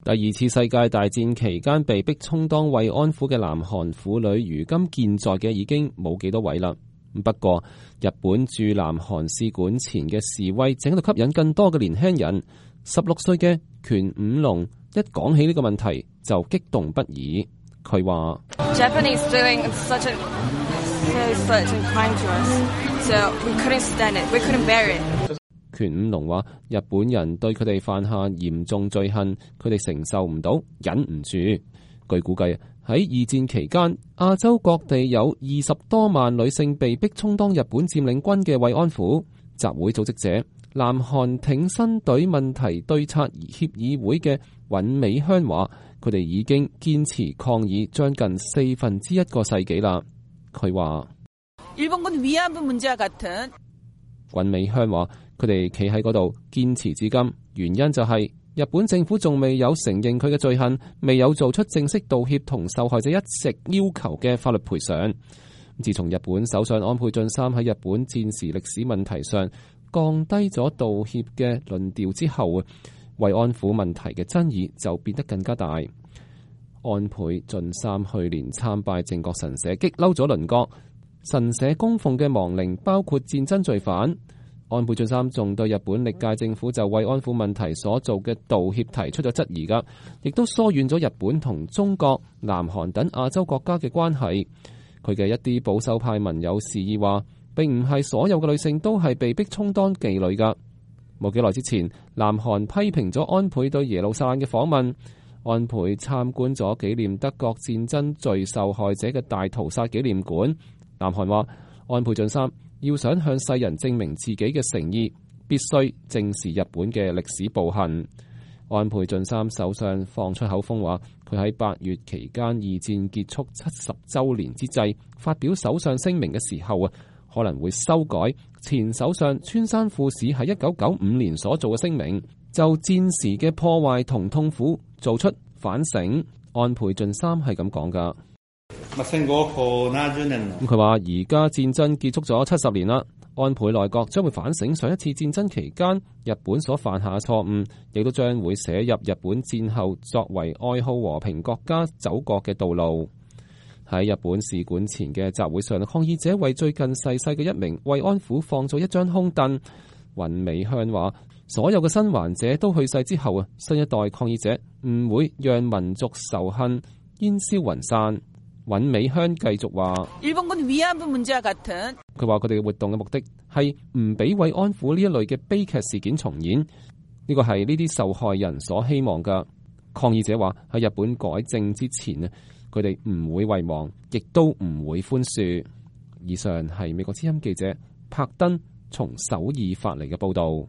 第二次世界大戰期間被逼充當慰安婦嘅南韓婦女，如今健在嘅已經冇幾多位啦。不過，日本駐南韓使館前嘅示威正喺度吸引更多嘅年輕人。16歲嘅權五龍一講起呢個問題就激動不已。佢話權五龍話：日本人對佢哋犯下嚴重罪行，佢哋承受唔到，忍唔住。據估計，喺二戰期間，亞洲各地有20多萬女性被逼充當日本佔領軍嘅慰安婦。集會組織者南韓挺身隊問題對策協議會嘅尹美香話：佢哋已經堅持抗議將近1/4個世紀啦。佢話：尹美香話：佢哋企喺嗰度堅持至今，原因就係日本政府仲未有承認佢嘅罪行，未有做出正式道歉同受害者一直要求嘅法律賠償。自從日本首相安倍晉三喺日本戰時歷史問題上降低咗道歉嘅論調之後，慰安婦問題嘅爭議就變得更加大。安倍晉三去年參拜靖國神社，激嬲咗鄰國。神社供奉嘅亡靈包括戰爭罪犯。安倍晉三仲對日本歷屆政府就慰安婦問題所做嘅道歉提出咗質疑㗎，亦都疏遠咗日本同中國、南韓等亞洲國家嘅關係。佢嘅一啲保守派民友示意話，並唔係所有嘅女性都係被逼充當妓女㗎。冇幾耐之前，南韓批評咗安倍對耶路撒冷嘅訪問。安倍參觀咗紀念德國戰爭罪受害者嘅大屠殺紀念館。南韓話，安倍晉三要想向世人證明自己嘅誠意，必須正視日本嘅歷史暴行。安倍晉三首相放出口風話，佢喺8月期間二戰結束70週年之際發表首相聲明嘅時候可能會修改前首相村山富市喺1995年所做嘅聲明，就戰時嘅破壞同痛苦做出反省。安倍晉三係咁講噶。佢話而家戰爭結束咗70年啦，安倍內閣將會反省上一次戰爭期間日本所犯下嘅錯誤，亦都將會寫入日本戰後作為愛好和平國家走過嘅道路。喺日本使館前嘅集會上，抗議者為最近逝世嘅一名慰安婦放咗一張空凳。尹美香話：所有嘅生還者都去世之後新一代抗議者唔會讓民族仇恨煙消雲散。尹美香繼續話：佢話佢哋嘅活動嘅目的係唔俾慰安婦呢一類嘅悲劇事件重演，呢個係呢啲受害人所希望㗎。抗議者話喺日本改正之前佢哋唔會遺忘，亦都唔會寬恕。以上係美國之音記者柏登從首爾發嚟嘅報導。